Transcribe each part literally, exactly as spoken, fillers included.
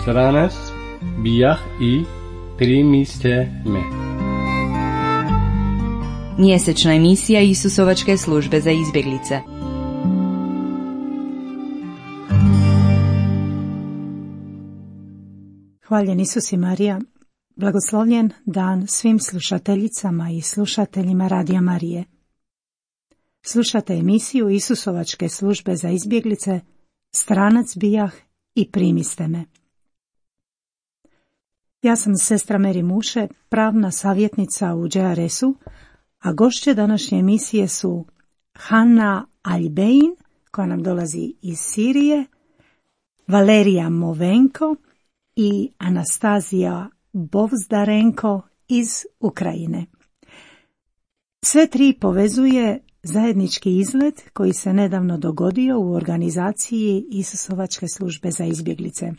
Stranac bijah i primiste me. Mjesečna emisija Isusovačke službe za izbjeglice. Hvaljen Isus i Marija, blagoslovljen dan svim slušateljicama i slušateljima Radija Marije. Slušate emisiju Isusovačke službe za izbjeglice, Stranac bijah i primiste me. Ja sam sestra Meri Muše, pravna savjetnica u Đe Er Es-u, a gošće današnje emisije su Hanna Albein, koja nam dolazi iz Sirije, Valerija Movenko i Anastazija Bovzdarenko iz Ukrajine. Sve tri povezuje zajednički izlet koji se nedavno dogodio u organizaciji Isusovačke službe za izbjeglice.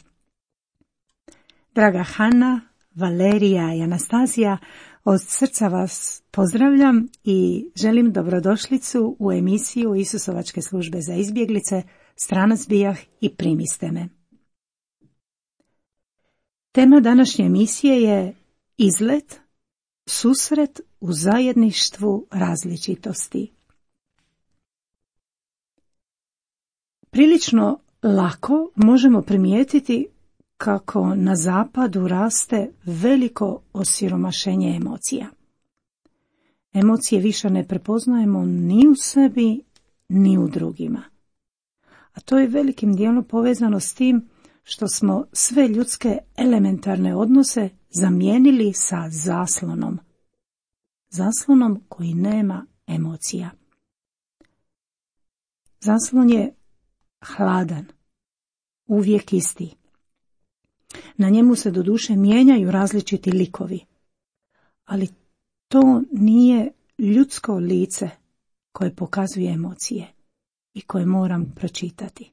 Draga Hanna, Valerija i Anastazija, od srca vas pozdravljam i želim dobrodošlicu u emisiju Isusovačke službe za izbjeglice, Stranac bijah i primiste me. Tema današnje emisije je izlet, susret u zajedništvu različitosti. Prilično lako možemo primijetiti kako na zapadu raste veliko osiromašenje emocija. Emocije više ne prepoznajemo ni u sebi, ni u drugima. A to je velikim dijelom povezano s tim što smo sve ljudske elementarne odnose zamijenili sa zaslonom. Zaslonom koji nema emocija. Zaslon je hladan, uvijek isti. Na njemu se doduše mijenjaju različiti likovi, ali to nije ljudsko lice koje pokazuje emocije i koje moram pročitati.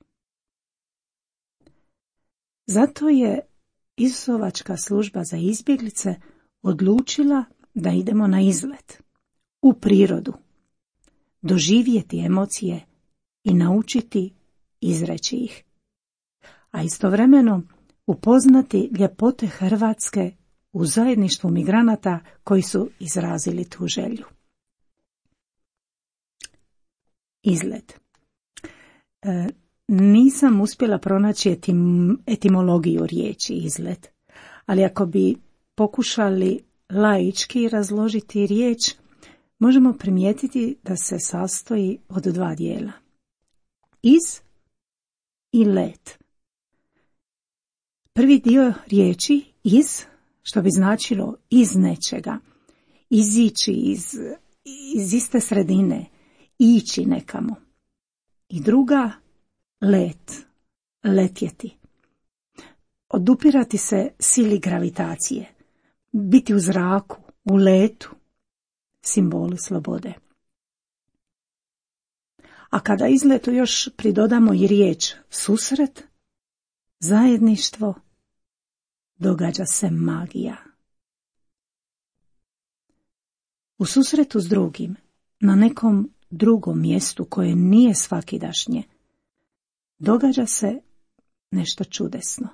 Zato je Isusovačka služba za izbjeglice odlučila da idemo na izlet, u prirodu, doživjeti emocije i naučiti izreći ih, a istovremeno upoznati ljepote Hrvatske u zajedništvu migranata koji su izrazili tu želju. Izlet. E, nisam uspjela pronaći etim, etimologiju riječi izlet, ali ako bi pokušali laički razložiti riječ, možemo primijetiti da se sastoji od dva dijela. Iz i let. Prvi dio riječi iz, što bi značilo iz nečega, izići iz, iz iste sredine, ići nekamo. I druga, let, letjeti. Odupirati se sili gravitacije, biti u zraku, u letu, simbolu slobode. A kada izletu još pridodamo i riječ susret, zajedništvo, događa se magija. U susretu s drugim, na nekom drugom mjestu koje nije svakidašnje, događa se nešto čudesno.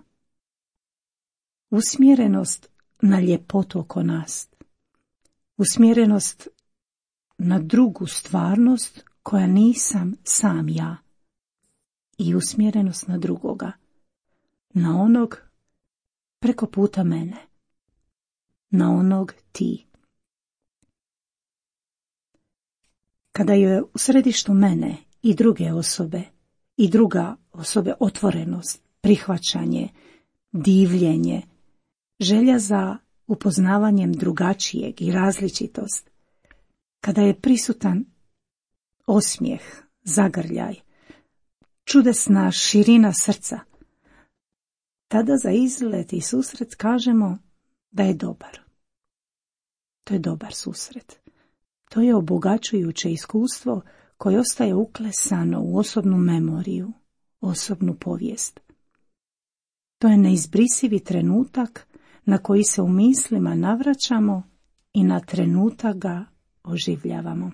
Usmjerenost na ljepotu oko nas, usmjerenost na drugu stvarnost koja nisam sam ja i usmjerenost na drugoga, na onog preko puta mene, na onog ti. Kada je u središtu mene i druge osobe, i druga osobe otvorenost, prihvaćanje, divljenje, želja za upoznavanjem drugačijeg i različitost, kada je prisutan osmijeh, zagrljaj, čudesna širina srca, tada za izlet i susret kažemo da je dobar. To je dobar susret. To je obogaćujuće iskustvo koje ostaje uklesano u osobnu memoriju, osobnu povijest. To je neizbrisivi trenutak na koji se u mislima navraćamo i na trenutak ga oživljavamo.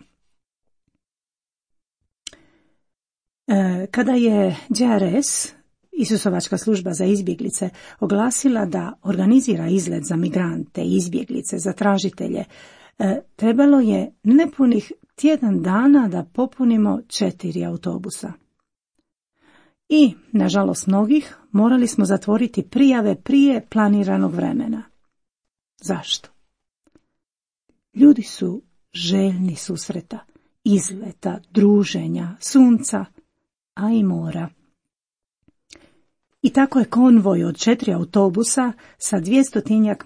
E, kada je J R S, Isusovačka služba za izbjeglice, oglasila da organizira izlet za migrante, izbjeglice, za tražitelje, e, trebalo je nepunih tjedan dana da popunimo četiri autobusa. I, nažalost mnogih, morali smo zatvoriti prijave prije planiranog vremena. Zašto? Ljudi su željni susreta, izleta, druženja, sunca, a i mora. I tako je konvoj od četiri autobusa sa dvjestotinjak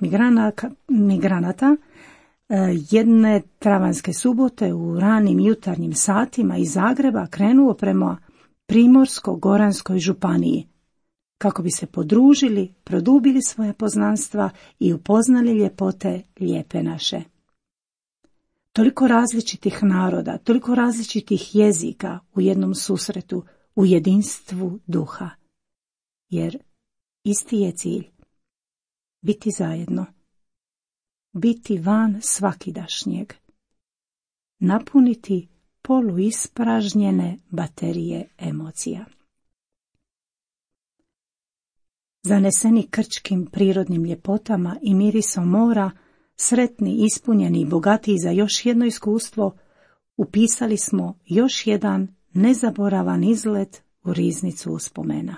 migranata jedne travanjske subote u ranim jutarnjim satima iz Zagreba krenuo prema Primorsko-goranskoj županiji, kako bi se podružili, produbili svoje poznanstva i upoznali ljepote lijepe naše. Toliko različitih naroda, toliko različitih jezika u jednom susretu, u jedinstvu duha. Jer isti je cilj. Biti zajedno. Biti van svakidašnjeg. Napuniti poluispražnjene baterije emocija. Zaneseni krčkim prirodnim ljepotama i mirisom mora, sretni, ispunjeni i bogatiji za još jedno iskustvo, upisali smo još jedan nezaboravan izlet u riznicu uspomena.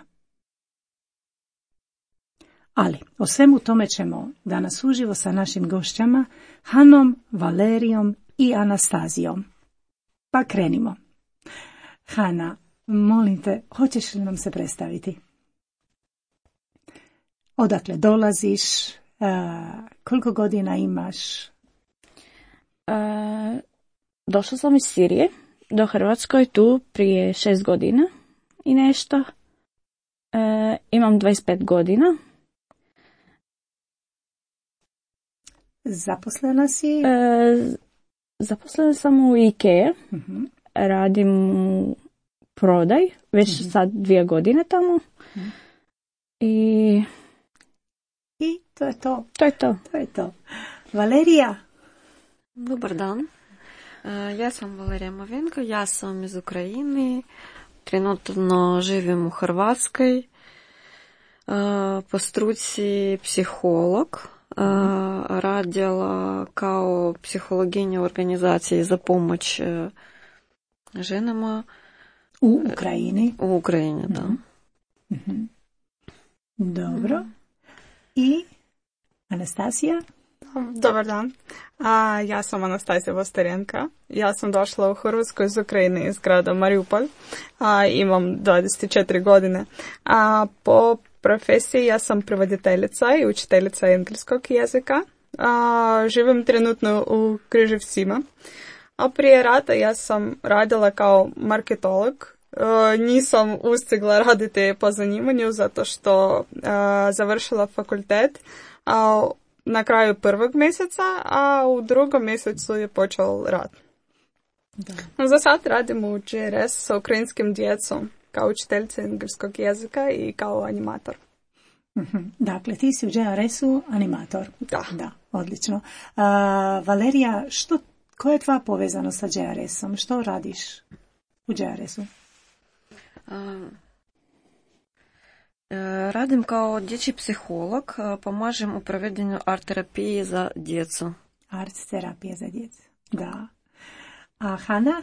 Ali, o svemu tome ćemo danas uživo sa našim gošćama, Hanom, Valerijom i Anastazijom. Pa krenimo. Hana, molim te, hoćeš li nam se predstaviti? Odakle dolaziš? Uh, koliko godina imaš? Uh, došla sam iz Sirije do Hrvatskoj tu prije šest godina i nešto. Uh, imam dvadeset pet godina. Zaposlena si? Uh, zaposlena sam u IKEA. Uh-huh. Radim prodaj, već uh-huh. sad dvije godine tamo. Uh-huh. I... I to je to. To je to. To je to. Valerija? Dobar dan. Ja sam Valerija Mavenko, ja sam iz Ukrajine. Trenutno živim u Hrvatskoj. Po struci psiholog. Radila kao psihologinja u organizaciji za pomoć ženama. U Ukrajini? U Ukrajini, da. Mm-hmm. Dobro. I Anastasija? Dobar dan. A, ja sam Anastasija Vostarenka. Ja sam došla u Hrvatsku iz Ukrajine, iz grada Mariupol. A, imam dvadeset četiri godine. A, po profesiji ja sam prevoditeljica i učiteljica engleskog jezika. A, živim trenutno u Križevcima. A prije rata ja sam radila kao marketolog. Uh, nisam ustigla raditi po zanimanju zato što uh, završila fakultet uh, na kraju prvog mjeseca, a u drugom mjesecu je počeo rad. Da. Za sad radim u J R S sa ukrajinskim djecom kao učiteljica engleskog jezika i kao animator. Mm-hmm. Dakle, ti si u J R S-u animator. Da. Da, odlično. Uh, Valerija, što, koja je tvoja povezanost sa J R S-om? Što radiš u J R S-u? Radim kao dječji psiholog, pomažem u provedenju art terapije za djecu. Art terapije za djecu, da. A Hana?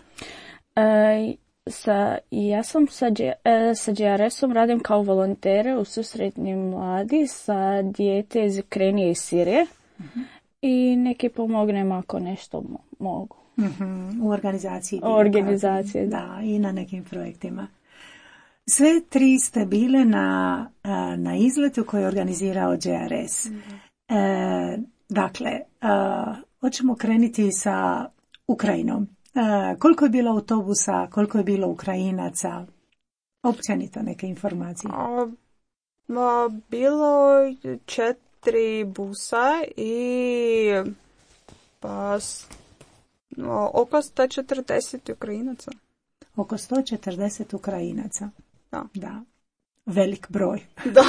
E, sa, ja sam sa, e, sa J R S-om radim kao volontere u susretni mladi sa dijete iz Ukrajine i Sirije. Uh-huh. I neki pomognem ako nešto mogu. Uh-huh. U organizaciji. U organizaciji, da. Da, i na nekim projektima. Sve tri ste bile na, na izletu koji je organizirao J R S. Mm-hmm. E, dakle, a, hoćemo krenuti sa Ukrajinom. E, koliko je bilo autobusa, koliko je bilo Ukrajinaca? Općenito neke informacije. A, a, bilo četiri busa i pa, a, oko sto četrdeset Ukrajinaca. Oko sto četrdeset Ukrajinaca. Da. Da. Velik broj. Da.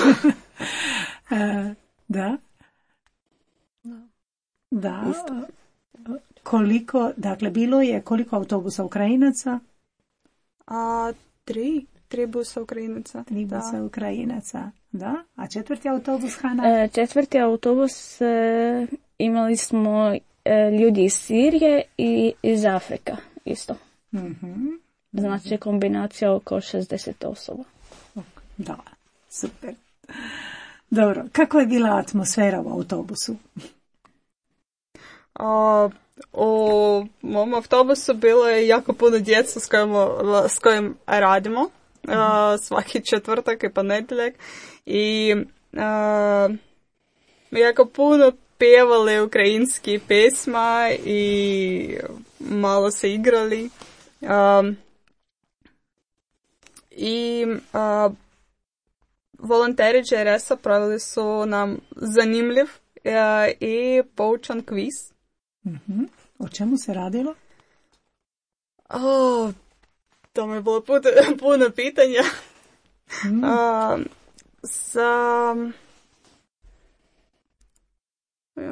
e, da. Da. Da. Isto. Koliko, dakle, bilo je koliko autobusa Ukrajinaca? A, tri. Tri busa Ukrajinaca. Tri busa da. Ukrajinaca, da. A četvrti autobus, Hana? E, četvrti autobus e, imali smo e, ljudi iz Sirije i iz Afrika isto. Mm-hmm. Znači kombinacija oko šezdeset osoba. Da, super. Dobro, kako je bila atmosfera u autobusu? A, u mom autobusu bilo je jako puno djeca s kojim, s kojim radimo. Mm-hmm. A, svaki četvrtak i ponedjeljak. I a, jako puno pjevali ukrajinski pesma i malo se igrali. A, I a, volonteri J R S-a pravili su nam zanimljiv a, i poučan kviz. Mm-hmm. O čemu se radilo? O, to mi je bilo puno, puno pitanja. Mm. A, sa...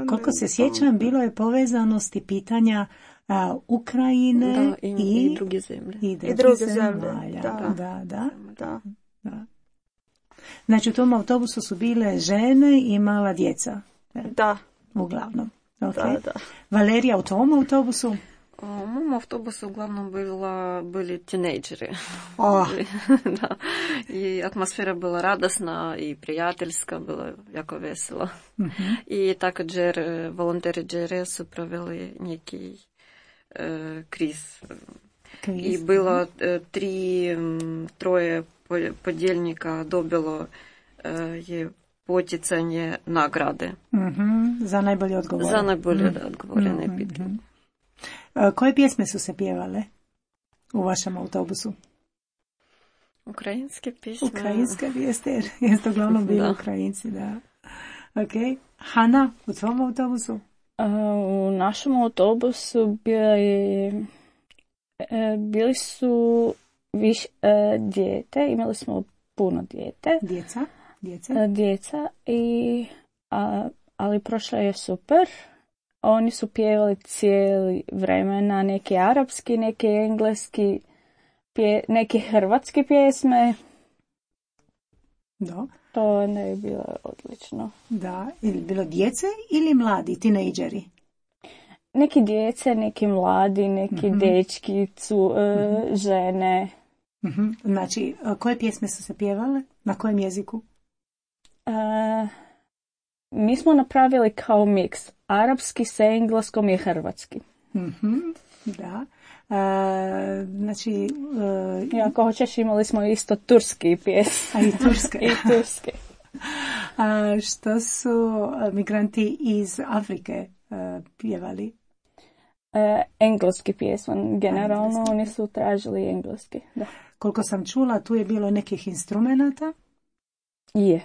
Koliko se sjećam, bilo je povezanosti pitanja a, Ukrajine da, i, i, i druge zemlje. I druge, I druge zemlje. zemlje. Da, Da. da, da. Da. da. Znači u tom autobusu su bile žene i mala djeca. Da. Uglavnom. Okay. Da, da. Valerija, u tom autobusu? У моєму автобусі uglavnom була, були тінейджери. О. Да. І атмосфера була радісна і приятельська, було яко весело. Mm-hmm. І також волонтери J R S провели некий е, квіз. Квіз. І було е, три, троє подільника добило е, потицання награди. Mm-hmm. Za najbolje odgovore. За найболje Mm-hmm. odgovorene pitke. Mm-hmm. Koje pjesme su se pjevale u vašem autobusu? Ukrajinske pjesme. Ukrajinske pjesme, jer jeste uglavnom bili Da. Ukrajinci, da. Ok. Hana, u tvom autobusu? U našem autobusu bili, bili su viš dijete, imali smo puno dijete. Djeca? Djeca? Djeca, i, a, ali prošlo je super. Oni su pjevali cijeli vremena, neki arapski, neki engleski, pje, neke hrvatske pjesme. Da. To ne je bilo odlično. Da. Ili bilo djece ili mladi, tinejdžeri? Neki djece, neki mladi, neki mm-hmm. dečki, cu, mm-hmm. žene. Mm-hmm. Znači, koje pjesme su se pjevale? Na kojem jeziku? Uh, mi smo napravili kao miks. Arapski sa engleskom i hrvatski. Mm-hmm. Da. E, znači... E, I ako hoćeš, imali smo isto turski pjesme. A i turske. I turske. A što su migranti iz Afrike e, pjevali? E, engleski pjesma. Generalno engleski. Oni su tražili engleski. Da. Koliko sam čula, tu je bilo nekih instrumenata. Je.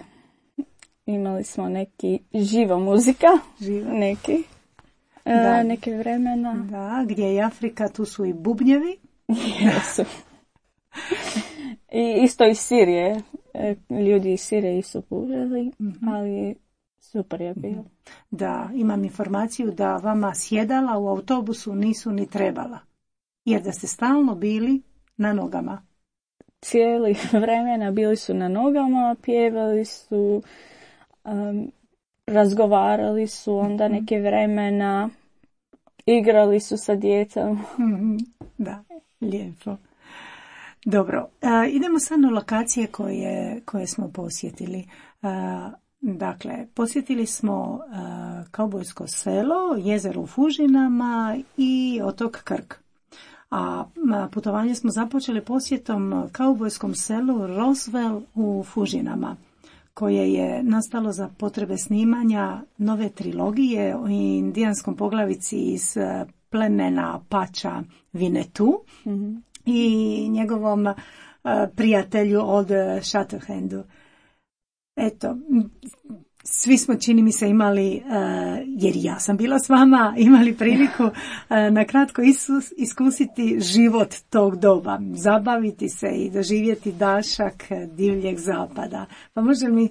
Imali smo neki živa muzika. Živa. Neki. Da. E, neke vremena. Da, gdje je Afrika, tu su i bubnjevi. Jesu. I isto iz Sirije. E, ljudi iz Sirije su puzeli, mm-hmm. ali super je bilo. Da, imam informaciju da vama sjedala u autobusu nisu ni trebala. Jer da ste stalno bili na nogama. Cijeli vremena bili su na nogama, pjevali su, um, razgovarali su onda neke vremena, igrali su sa djecom. Mm-hmm. Da, lijepo. Dobro, e, idemo sad na lokacije koje, koje smo posjetili. E, dakle, posjetili smo e, kaubojsko selo, jezero u Fužinama i otok Krk. A putovanje smo započeli posjetom kaubojskom selu Roswell u Fužinama, koje je nastalo za potrebe snimanja nove trilogije o indijanskom poglavici iz plemena Apača Vinetu mm-hmm. i njegovom uh, prijatelju od Shatterhandu. Eto, svi smo, čini mi se, imali, uh, jer ja sam bila s vama, imali priliku uh, na kratko isus, iskusiti život tog doba, zabaviti se i doživjeti dašak divljeg zapada. Pa može mi,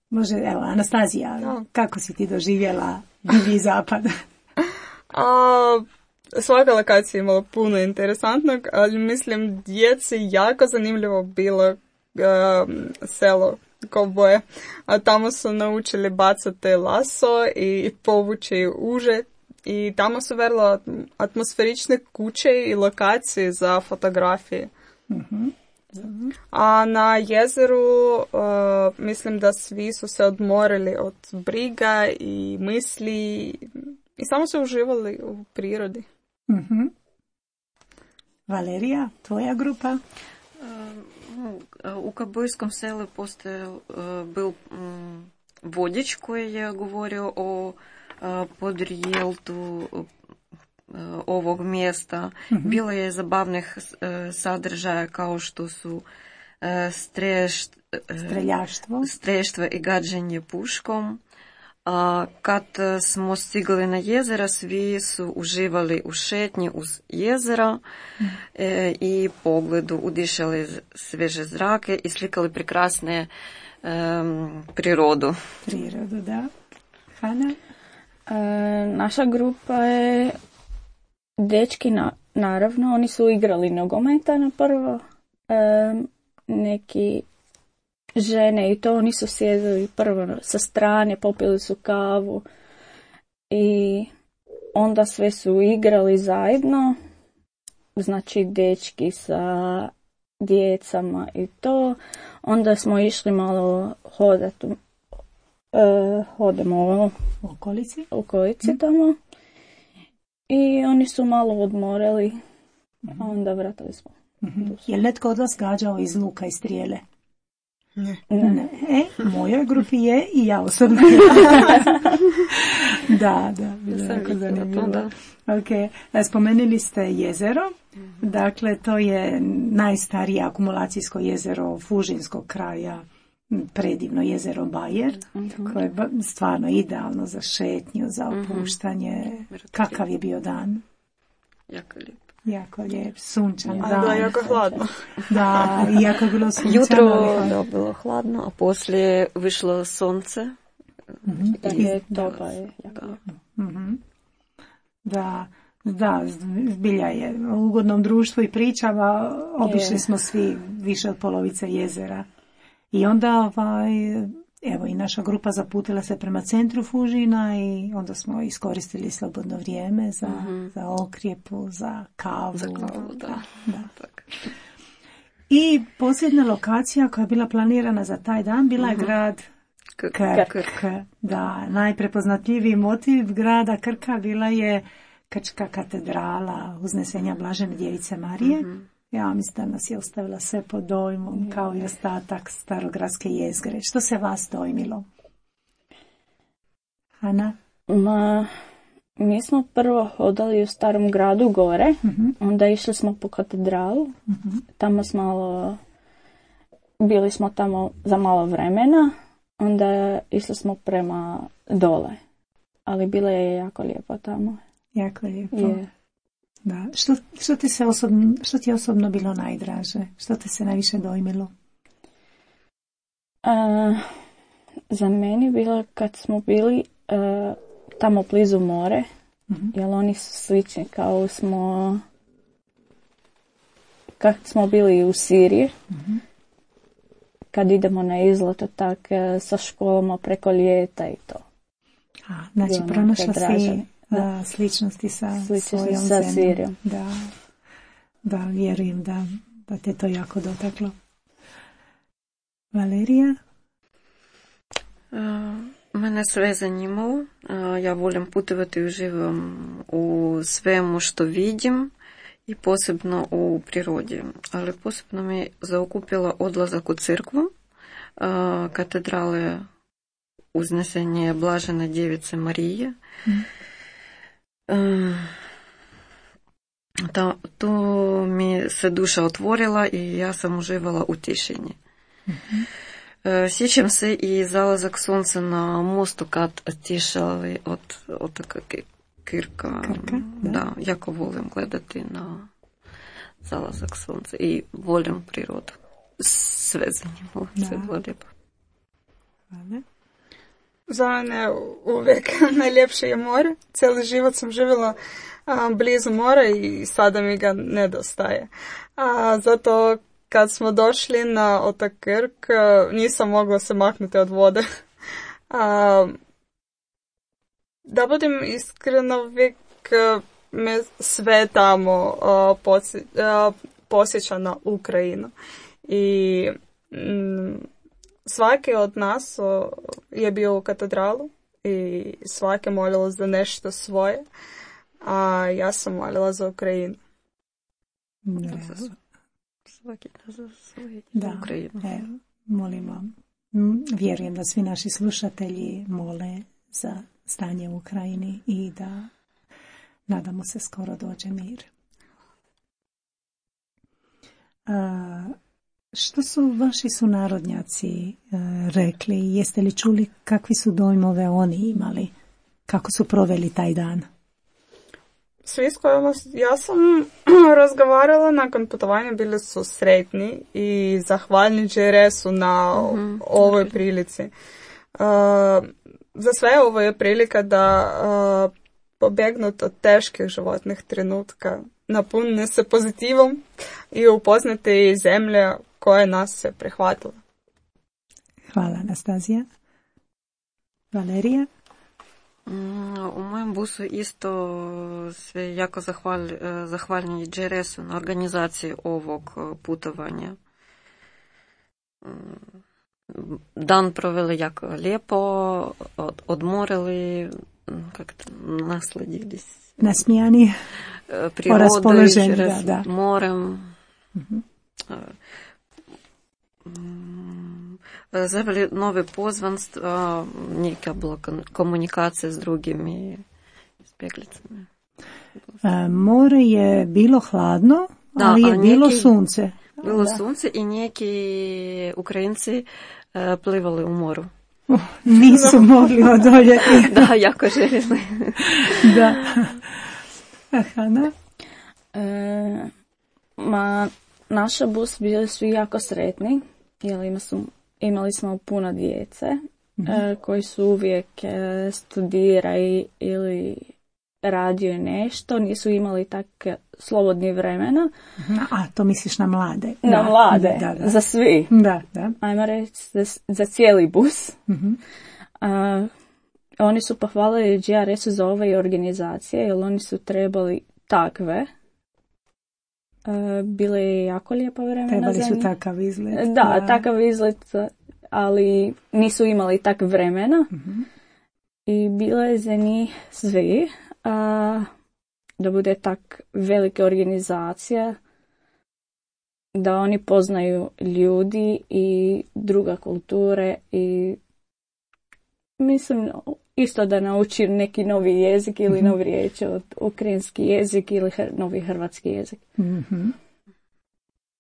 može, evo, Anastazija, no. kako si ti doživjela divlji zapad? A svaka lokacija imala puno interesantnog, ali mislim djeci jako zanimljivo bilo uh, selo Kovboje. A tamo su naučili bacati laso i povući uže. I tamo su vrlo atmosferične kuće i lokacije za fotografije. Mhm. A na jezeru uh, mislim da svi su se odmorili od briga i misli i samo su uživali u prirodi. Mhm. Valerija, tvoja grupa? U Ковбойskom selu postojao был vodič koji je govorio o podrijetlu ovog mjesta. Mm-hmm. Bilo je zabavnih sadržaja kao što su streš, streljaštvo. streljaštvo i gađanje puškom. A kad smo stigli na jezera, svi su uživali u šetnji uz jezera mm. e, i pogledu, udišali sveže zrake i slikali prekrasne um, prirodu. Prirodu, da. Hana? E, naša grupa je dečki, na, naravno, oni su igrali nogometa na prvo, e, neki žene i to, oni su sjedili prvo sa strane, popili su kavu i onda sve su igrali zajedno, znači dečki sa djecama i to. Onda smo išli malo hodati, e, hodamo u okolici, u okolici mm. tamo i oni su malo odmorili, mm. a onda vratili smo. Mm-hmm. Je li netko od vas gađao iz luka i strijele? Ne. Ne. E, mojoj grupi je i ja osobno. da, da, bilo je jako zanimljivo. Okay. Spomenuli ste jezero, mm-hmm. dakle to je najstarije akumulacijsko jezero Fužinskog kraja, predivno jezero Bajer, mm-hmm. koje je stvarno idealno za šetnju, za opuštanje. Mm-hmm. Kakav je bio dan? Jako lijep. Jako lijep, sunčan ja, dan. Da, jako hladno. Da, jako je bilo sunčano. Jutro da, bilo hladno, a poslije vyšlo sunce. Mm-hmm. Da je topa je jako da. Mm-hmm. Da, da, zbilja je u ugodnom društvu i pričama. Obišli je. Smo svi više od polovice jezera. I onda ovaj, evo i naša grupa zaputila se prema centru Fužina i onda smo iskoristili slobodno vrijeme za, mm-hmm. za okrijepu, za kavu. Za kavu, da. da. Tak. I posljednja lokacija koja je bila planirana za taj dan bila mm-hmm. je grad Krk. Krk. Da, najprepoznatljiviji motiv grada Krka bila je Krčka katedrala Uznesenja Blažene djevice Marije. Mm-hmm. Ja mislim da nas je ostavila sve pod dojmom, kao i ostatak starogradske jezgre. Što se vas dojmilo? Ana? Ma, mi smo prvo hodali u starom gradu gore, uh-huh. onda išli smo po katedralu, uh-huh. tamo smo malo, bili smo tamo za malo vremena, onda išli smo prema dole, ali bilo je jako lijepo tamo. Jako lijepo. Je. Da. Što, što, ti se osobno, što ti je osobno bilo najdraže? Što te se najviše dojmilo? A, za meni bilo kad smo bili a, tamo blizu more, mm-hmm. jer oni su slični kao smo kad smo bili u Siriji, mm-hmm. kad idemo na izlet tak sa školama preko ljeta i to. A, znači pronašla si da, sličnosti sa sličnosti svojom sa zemljom. Sirijom. Da, da, vjerujem da, da te to jako dotaklo. Valerija? Uh, mene sve zanimalo. Uh, ja volim putovati i uživam u svemu što vidim i posebno u prirodi. Ali posebno me zaokupila odlazak u crkvu, uh, katedrale Uznesenje Blažene djevice Marije. Mm. To, to mi se duša otvorila i ja sam uživala u tišini. Mm-hmm. Sjećam se i zalazak sunca na mostu kad tišali od otoka Krka. Krka, da. Da, jako volim gledati na zalazak sunca i volim prirodu. Sve zanimljivo, sve bilo lijepo. Hvala. Za mene uvijek najljepše je more. Cijeli život sam živjela a, blizu mora i sada mi ga nedostaje. A, zato kad smo došli na otok Krk, nisam mogla se maknuti od vode. A, da budem iskrena, uvijek me sve tamo a, posje, a, posjeća na Ukrajinu. I mm, svaki od nas o, je bio u katedralu i svaki molila za nešto svoje, a ja sam molila za Ukrajinu. Da. Svaki za svoje Da, Ukrajinu. e, molimo. Vjerujem da svi naši slušatelji mole za stanje u Ukrajini i da nadamo se skoro dođe mir. A, što su vaši sunarodnjaci e, rekli? Jeste li čuli kakvi su dojmove oni imali? Kako su proveli taj dan? Svi s kojima ja sam razgovarala nakon putovanja bili su sretni i zahvalni J R S-u na mm-hmm. ovoj prilici. Uh, za sve ovo je prilika da uh, pobjegnut od teških životnih trenutka, napunne se pozitivom i upoznati zemlje koje nas se prihvatila. Hvala, Anastazija. Valerija? U mojem busu isto sve jako zahval, zahvalni J R S-u na organizaciji ovog putovanja. Dan proveli jako lijepo, od, odmorili, kako to, nasledili nasmijani, prirodom, da, da. morem. Uh-huh. Zaveli nove pozvanstva, neka bila komunikacija s drugimi izbjeglicama. E, more je bilo hladno, da, ali je neki, bilo sunce. Bilo da. sunce i neki Ukrajinci uh, plivali u moru. Uh, nisu mogli odoljeti. Da, jako željeli. Da. Hana? E, ma, naša bus bili su jako sretni, jer ima su, imali smo puno djece mm-hmm. e, koji su uvijek e, studiraju ili radio nešto, nisu imali tak slobodni vremena. A, to misliš na mlade? Na da, mlade, da, da. za svi. Da, da. Ajmo reći za, za cijeli bus. Mm-hmm. A, oni su pohvalili J R S-u za ove organizacije, jer oni su trebali takve. A, bile je jako lijepo vremena. Trebali za su njih. takav izlet. Da, da, takav izlet, ali nisu imali tak vremena. Mm-hmm. I bila je za njih svi. A, da bude tak velika organizacija, da oni poznaju ljudi i druga kulture i mislim isto da nauči neki novi jezik ili mm-hmm. novi riječ od ukrajinski jezik ili hr- novi hrvatski jezik. Mm-hmm.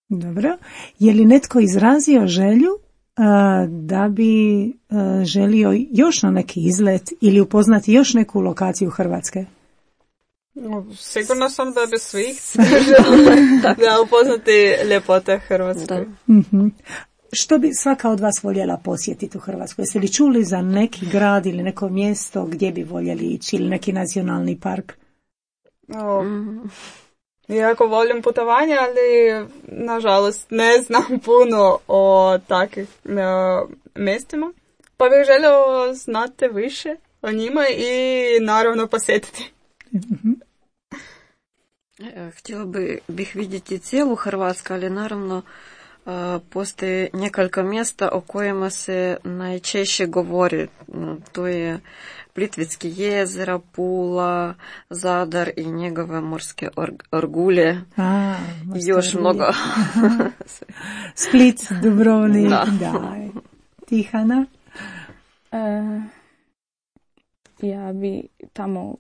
Dobro. Je li netko izrazio želju a, da bi a, želio još na neki izlet ili upoznati još neku lokaciju Hrvatske? Sigurno sam da bi svi želili da upoznati ljepote Hrvatske. Mm-hmm. Što bi svaka od vas voljela posjetiti u Hrvatskoj? Jeste li čuli za neki grad ili neko mjesto gdje bi voljeli ići ili neki nacionalni park? O, jako volim putovanja, ali nažalost ne znam puno o takvih uh, mjestima. Pa bih želio znati više o njima i naravno posjetiti. Mm-hmm. Htjela bi, bih vidjeti cijelu Hrvatsku, ali naravno postoje nekoliko mjesta o kojima se najčešće govori. To je Plitvicki jezera, Pula, Zadar i njegove morske orgulje. A, i još orgulje. Mnogo. Split, Dubrovnik, da. da. Tihana? E, ja bi tamo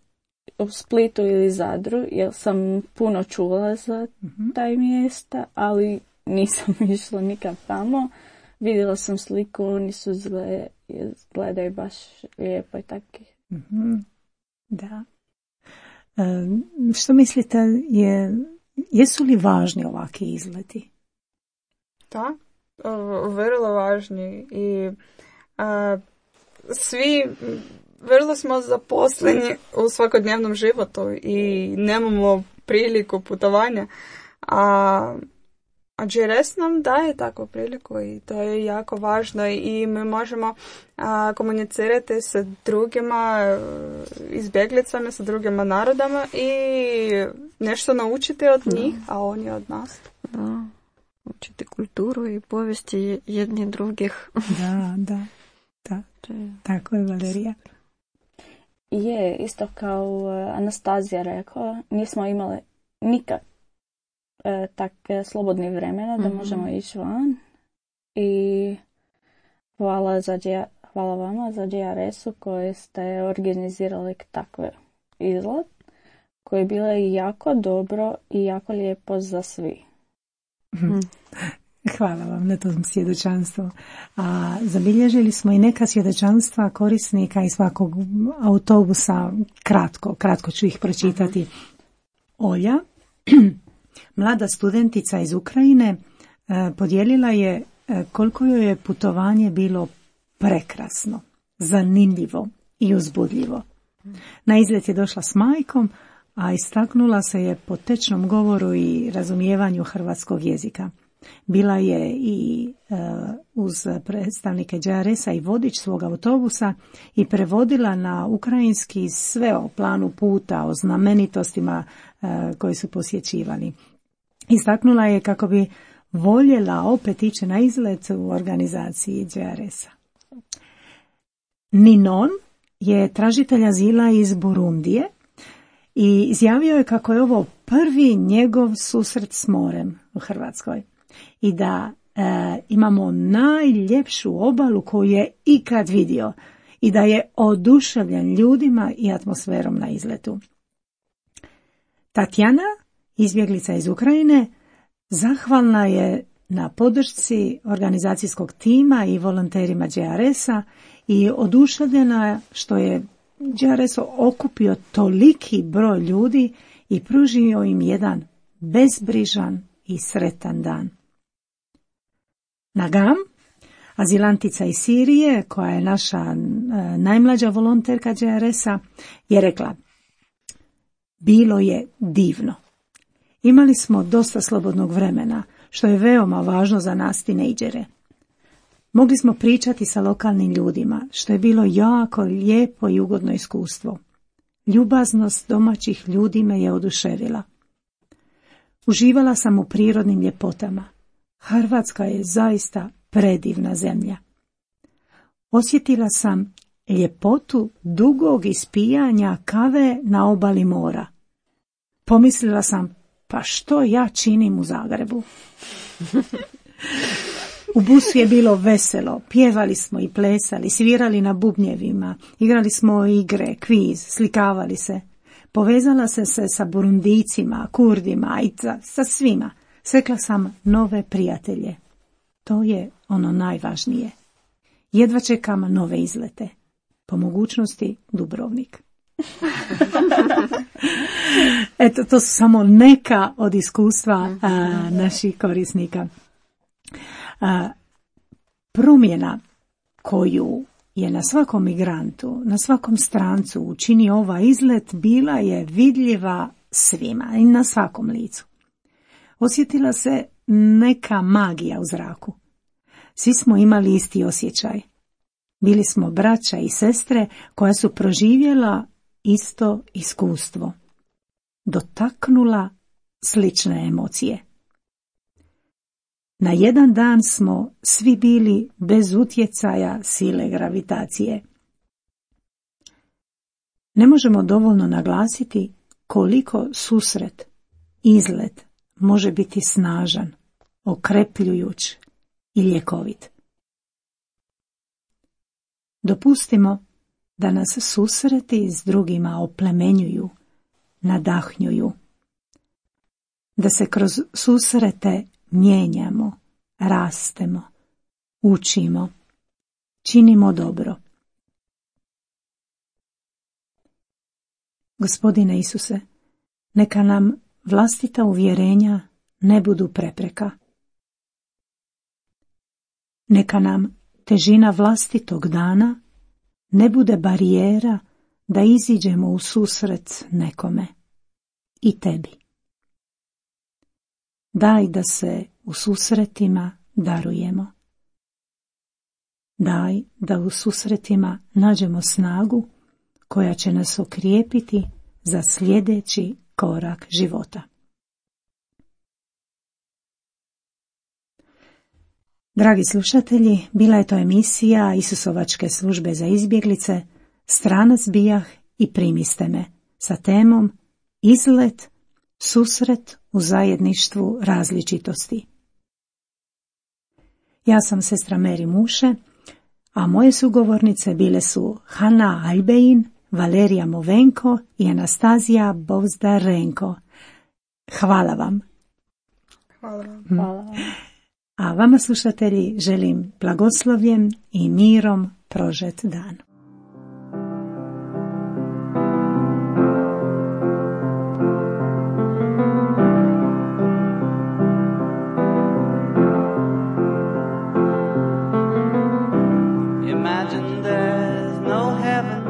u Splitu ili Zadru, jer sam puno čula za mm-hmm. taj mjesta, ali nisam išla nikad tamo. Vidjela sam sliku, oni su zgle, gledaju baš lijepo i tako. Mm-hmm. Da. E, što mislite, je, jesu li važni ovakvi izleti? Da, vrlo važni i a, svi vrlo smo zaposleni u svakodnevnom životu i nemamo priliku putovanja, a A G R S nam daje takvu priliku i to je jako važno i mi možemo a, komunicirati sa drugima izbjeglicama, sa drugima narodama i nešto naučiti od njih, da. A oni od nas. Da, učiti kulturu i povijesti jedni drugih. Da, da, da. Tako je, Valerija. Je, isto kao Anastazija rekla, nismo imali nikad E, tak e, slobodni vremena da mm-hmm. možemo ići van i hvala, za, hvala vama za G R S-u koji ste organizirali takve izlet koje je bilo jako dobro i jako lijepo za svi. Mm. Hvala vam na tom svjedočanstvu. A zabilježili smo i neka svjedočanstva korisnika iz svakog autobusa, kratko, kratko ću ih pročitati. Olja, mlada studentica iz Ukrajine, podijelila je koliko joj je putovanje bilo prekrasno, zanimljivo i uzbudljivo. Na izlet je došla s majkom, a istaknula se je po tečnom govoru i razumijevanju hrvatskog jezika. Bila je i uh, uz predstavnike G R S-a i vodič svog autobusa i prevodila na ukrajinski sve o planu puta, o znamenitostima uh, koji su posjećivali. Istaknula je kako bi voljela opet ići na izlet u organizaciji G R S-a. Ninon je tražitelj azila iz Burundije i izjavio je kako je ovo prvi njegov susret s morem u Hrvatskoj i da e, imamo najljepšu obalu koju je ikad vidio i da je oduševljen ljudima i atmosferom na izletu. Tatjana, izbjeglica iz Ukrajine, zahvalna je na podršci organizacijskog tima i volonterima G R S-a i oduševljena što je G R S okupio toliki broj ljudi i pružio im jedan bezbrižan i sretan dan. Nagam, azilantica iz Sirije, koja je naša e, najmlađa volonterka G R S-a, je rekla: bilo je divno. Imali smo dosta slobodnog vremena, što je veoma važno za nas tinejdžere. Mogli smo pričati sa lokalnim ljudima, što je bilo jako lijepo i ugodno iskustvo. Ljubaznost domaćih ljudi me je oduševila. Uživala sam u prirodnim ljepotama. Hrvatska je zaista predivna zemlja. Osjetila sam ljepotu dugog ispijanja kave na obali mora. Pomislila sam, pa što ja činim u Zagrebu? U busu je bilo veselo, pjevali smo i plesali, svirali na bubnjevima, igrali smo igre, kviz, slikavali se. Povezala se se sa Burundicima, Kurdima i sa, sa svima. Stekla sam nove prijatelje. To je ono najvažnije. Jedva čekam nove izlete. Po mogućnosti Dubrovnik. Eto, to su samo neka od iskustva a, naših korisnika. A, promjena koju je na svakom migrantu, na svakom strancu učinio ovaj izlet bila je vidljiva svima i na svakom licu. Osjetila se neka magija u zraku. Svi smo imali isti osjećaj. Bili smo braća i sestre koja su proživjela isto iskustvo. Dotaknula slične emocije. Na jedan dan smo svi bili bez utjecaja sile gravitacije. Ne možemo dovoljno naglasiti koliko susret, izlet može biti snažan, okrepljujuć i ljekovit. Dopustimo da nas susreti s drugima oplemenjuju, nadahnjuju. Da se kroz susrete mijenjamo, rastemo, učimo, činimo dobro. Gospodine Isuse, neka nam vlastita uvjerenja ne budu prepreka. Neka nam težina vlastitog dana ne bude barijera da iziđemo u susret nekome i tebi. Daj da se u susretima darujemo. Daj da u susretima nađemo snagu koja će nas okrijepiti za sljedeći korak života. Dragi slušatelji, bila je to emisija Isusovačke službe za izbjeglice Stranac bijah i primiste me sa temom Izlet, susret u zajedništvu različitosti. Ja sam sestra Meri Muše, a moje sugovornice bile su Hanna Albein, Valerija Movenko i Anastazija Bozdarenko. Hvala vam. Hvala vam. Hvala vam. A vama, slušatelji, želim blagoslovljen i mirom prožet dan. Imagine there's no heaven.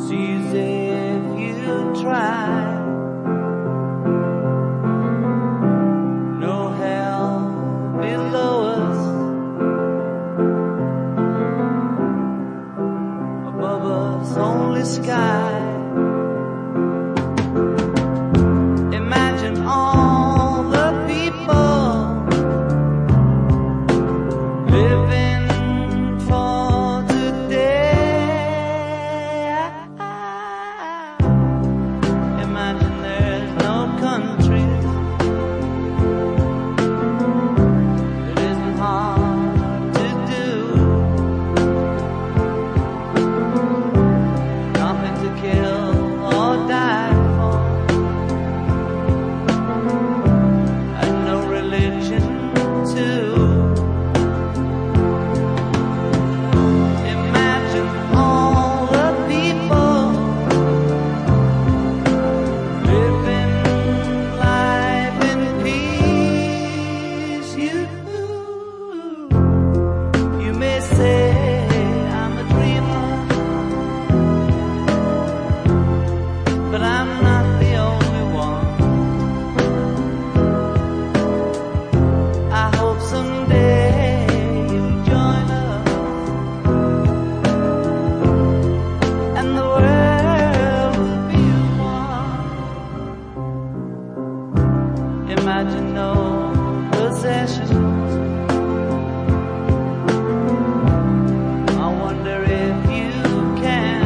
Sees if you try. Sky. Imagine all the people living for today. Imagine there's no countries. It isn't hard to do. Kill or die for, and no religion too. Imagine all the people living life in peace. You, you may say I'm a dreamer, but I'm not the only one. I hope someday you'll join us, and the world will be one. Imagine no possessions. I wonder if you can.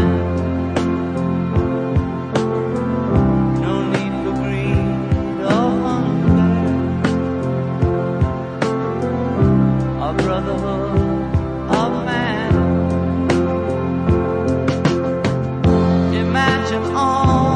Brotherhood of man. Imagine all